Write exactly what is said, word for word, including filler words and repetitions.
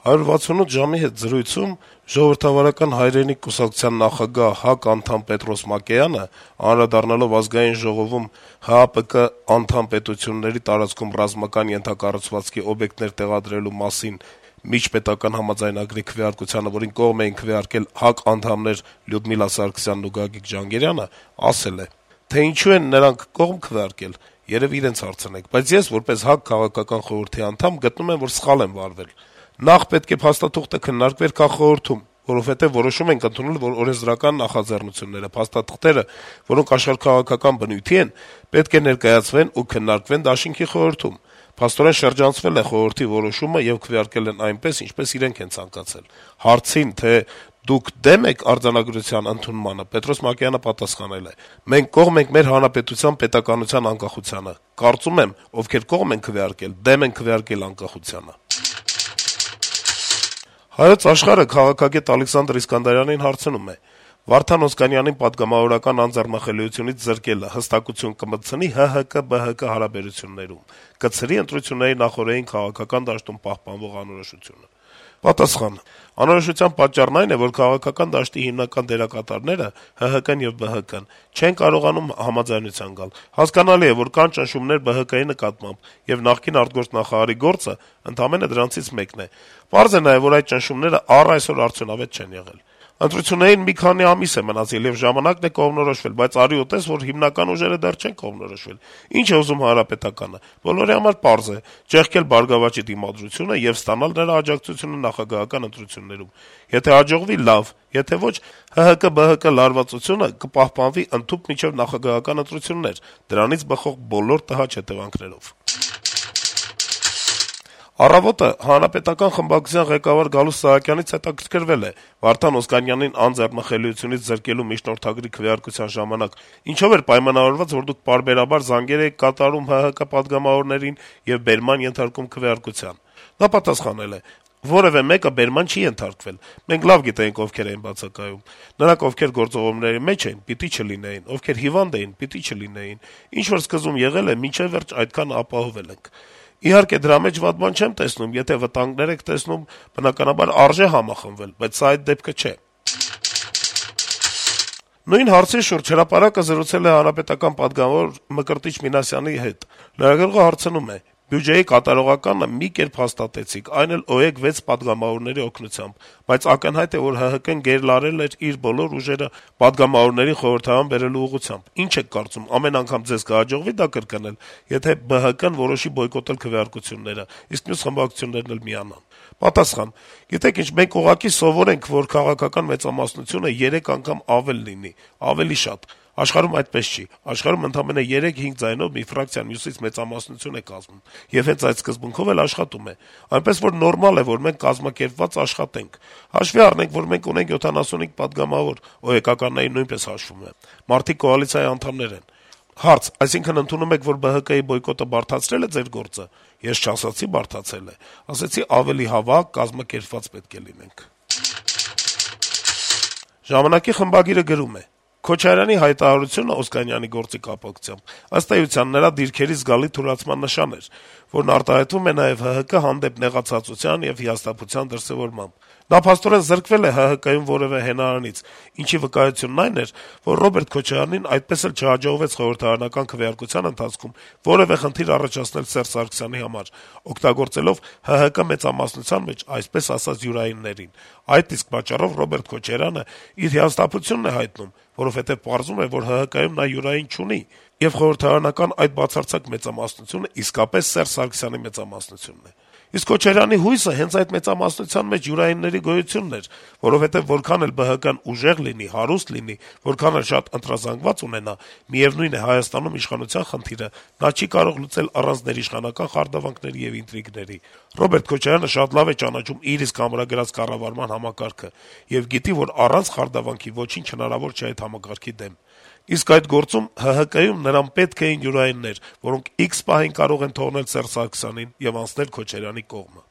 «հարյուր վաթսունութ ժամ»-ի հետ զրույցում Ժողովրդավարական հայրենիք կուսակցության նախագահ ՀԱԿ անդամ Պետրոս Մակեյանը, անդրադառնալով Ազգային ժողովում ՀԱՊԿ անդամ պետությունների տարածքում ռազմական ենթակառուցվածքի օբյեկտներ տեղադրելու մասին միջպետական համաձայնագրի քվեարկությանը, որին կողմ էին քվեարկել ՀԱԿ անդամներ Լյուդմիլա Սարգսյանն ու Գագիկ Ջհանգիրյանը, ասել է. - «Թե ինչու են նրանք կողմ քվեարկել, երեւի իրենց հարցնեք, բայց ես, որպես ՀԱԿ քաղաքական խորհրդի անդամ, գտնում եմ, որ սխալ են վարվել: Նախ պետք է փաստաթուղթը քննարկվեր քաղխորհրդում, որովհետեւ որոշում ենք ընդունել, որ օրենսդրական նախաձեռնությունները, փաստաթղթերը, որոնք աշխարհաքաղաքական բնույթի են, պետք է ներկայացվեն ու քննարկվեն դաշինքի խորհրդում: Փաստորեն շրջանցվել է խորհրդի որոշումը եւ քվեարկել են այնպես, ինչպես իրենք են ցանկացել»: Հարցին, թե դուք դե՞մ եք արձանագրության ընդունմանը, Պետրոս Մակեյանը պատասխանել է. - «Մենք կողմ ենք մեր հանրապետության պետականության անկախությանը: Կարծում եմ, ովքեր կողմ են քվեարկել, դեմ են քվեարկել անկախությանը»: «Հայոց Աշխարհ»-ը քաղաքագետ Ալեքսանդր Իսկանդարյանին հարցնում է. - «Վարդան Օսկանյանին պատգամավորական անձեռնախելիությունից զրկելը հստակություն կմտցնի ՀՀԿ-ԲՀԿ հարաբերություններում, կցրի ընտրությունների նախօրեին քաղաքական դաշտում պահպանվող անորոշությունը»: Պատասխան. - «Անորոշության պատճառն այն է, որ քաղաքական դաշտի հիմնական դերակատարները` ՀՀԿ-ն եւ ԲՀԿ-ն, չեն կարողանում համաձայնության գալ: Հասկանալի է, որ կան ճնշումներ ԲՀԿ-ի նկատմամբ, եւ նախկին արտգործնախարարի գործը ընդամենը դրանցից մեկն է: Պարզ է նաեւ, որ այդ ճնշումները առ այսօր արդյունավետ չեն եղել: Ընտրություններին մի քանի ամիս է մնացել, եւ ժամանակն է կողմնորոշվել, բայց արի ու տես, որ հիմնական ուժերը դեռ չեն կողմնորոշվել: Ինչ է ուզում Հանրապետականը: Բոլորի համար պարզ է` ճեղքել «Բարգավաճի» դիմադրությունը եւ ստանալ նրա աջակցությունը նախագահական ընտրություններում: Եթե հաջողվի` լավ, եթե ոչ, ՀՀԿ-ԲՀԿ լարվածությունը կպահպանվի ընդհուպ մինչեւ նախագահական ընտրություններ` դրանից բխող բոլոր տհաճ հետեւանքներով»: «Առավոտ»-ը Հանրապետական խմբակցության ղեկավար Գալուստ Սահակյանից հետաքրքրվել է Վարդան Օսկանյանին անձեռնախելիությունից զրկելու միջնորդագրի քվեարկության ժամանակ ինչով էր պայմանավորված, որ դուք պարբերաբար զանգեր էիք կատարում ՀՀԿ պատգամավորներին եւ բերման ենթարկում քվեարկության: Նա պատասխանել է. - «Որեւէ մեկը բերման չի ենթարկվել: Մենք լավ գիտեինք ովքեր էին բացակայում: Նրանք, ովքեր գործողումների մեջ էին, պիտի չլինեին, ովքեր հիվանդ էին, պիտի չլինեին: Ինչ որ սկզբում եղել է, մինչեւ վերջ այդքանը ապահովել ենք: Իհարկե, դրա մեջ վատ բան չեմ տեսնում, եթե վտանգներ եք տեսնում, բնականաբար արժե համախմբվել, բայց սա այդ դեպքը չէ»: Նույն հարցի շուրջ «Հրապարակ»-ը զրուցել է հանրապետական պատգամավոր Մկրտիչ Մինասյանի հետ: Լրագրողը հարցնում է. - «Բյուջեի կատարողականը մի կերպ հաստատեցիք, այն էլ ՕԵԿ վեց պատգամավորների օգնությամբ, բայց ակնհայտ է, որ ՀՀԿ-ն գերլարել էր իր բոլոր ուժերը պատգամավորներին խորհրդարան բերելու ուղղությամբ: Ինչ եք կարծում, ամեն անգամ ձեզ կհաջողվի դա կրկնել, եթե ԲՀԿ-ն որոշի բոյկոտել քվեարկությունները, իսկ մյուս խմբակցություններն էլ միանան»: Պատասխան. - «Գիտեք ինչ, մենք ուղղակի սովոր ենք, որ քաղաքական մեծամասնությունը երեք անգամ ավել լինի, ավելի շատ: Աշխարհում այդպես չի: Աշխարհում ընդամենը երեք-հինգ ձայնով մի ֆրակցիա մյուսից մեծամասնություն է կազմում, եւ հենց այդ սկզբունքով էլ աշխատում է: Այնպես որ նորմալ է, որ մենք կազմակերպված աշխատենք: Հաշվի առնենք, որ մենք ունենք յոթանասունհինգ պատգամավոր, ՕԵԿ-ականներին նույնպես հաշվում եմ: Մարդիկ կոալիցիայի անդամներ են»: Հարց. - «Այսինքն ընդունում եք, որ ԲՀԿ-ի բոյկոտը բարդացրել է ձեր գործը»: Ես չասացի` բարդացել է: Ասեցի` ավելի հավաք, կազմակերպված պետք է լինենք»: «Ժամանակ»-ի խմբագիրը գրում է. - «Քոչարյանի հայտարարությունը Օսկանյանի գործի կապակցությամբ, ըստ էության, նրա դիրքերի զգալի թուլացման նշան էր, որն արտահայտվում է նաեւ ՀՀԿ հանդեպ նեղացածության եւ հիասթափության դրսեւորմամբ: Նա փաստորեն զրկվել է ՀՀԿ-ում որեւէ հենարանից, ինչի վկայությունն այն էր, որ Ռոբերտ Քոչարյանին այդպես էլ չհաջողվեց խորհրդարանական քվեարկության ընթացքում որեւէ խնդիր առաջացնել Սերժ Սարգսյանի համար` օգտագործելով ՀՀԿ մեծամասնության մեջ, այսպես ասած, յուրայիններին: Այդ իսկ պատճառով Ռոբերտ Քոչարյանը իր հիասթափությունն է հայտնում, որովհետեւ պարզվում է, որ ՀՀԿ-ում նա յուրային չունի, եւ խորհրդարանական այդ բացարձակ մեծամասնությունը իսկապես Սերժ Սարգսյանի մեծամասնությունն է: Իսկ Քոչարյանի հույսը հենց այդ մեծամասնության մեջ յուրայինների գոյությունն էր, որովհետեւ որքան էլ ԲՀԿ-ն ուժեղ լինի, հարուստ լինի, որքան էլ շատ ընտրազանգված ունենա, միեւնույն է, Հայաստանում իշխանության խնդիրը նա չի կարող լուծել առանց ներիշխանական խարդավանքների եւ ինտրիգների: Ռոբերտ Քոչարյանը շատ լավ է ճանաչում իր իսկ ամրագրած կառավարման համակարգը եւ գիտի, որ առանց խարդավանքի ոչինչ հնարավոր չէ այդ համակարգի դեմ: Իսկ այդ գործում ՀՀԿ-ում նրան պետք էին յուրայիններ, որոնք իքս պահին կարող են թողնել Սերժ Սարգսյանին եւ անցնել Քոչարյանի կողմը»: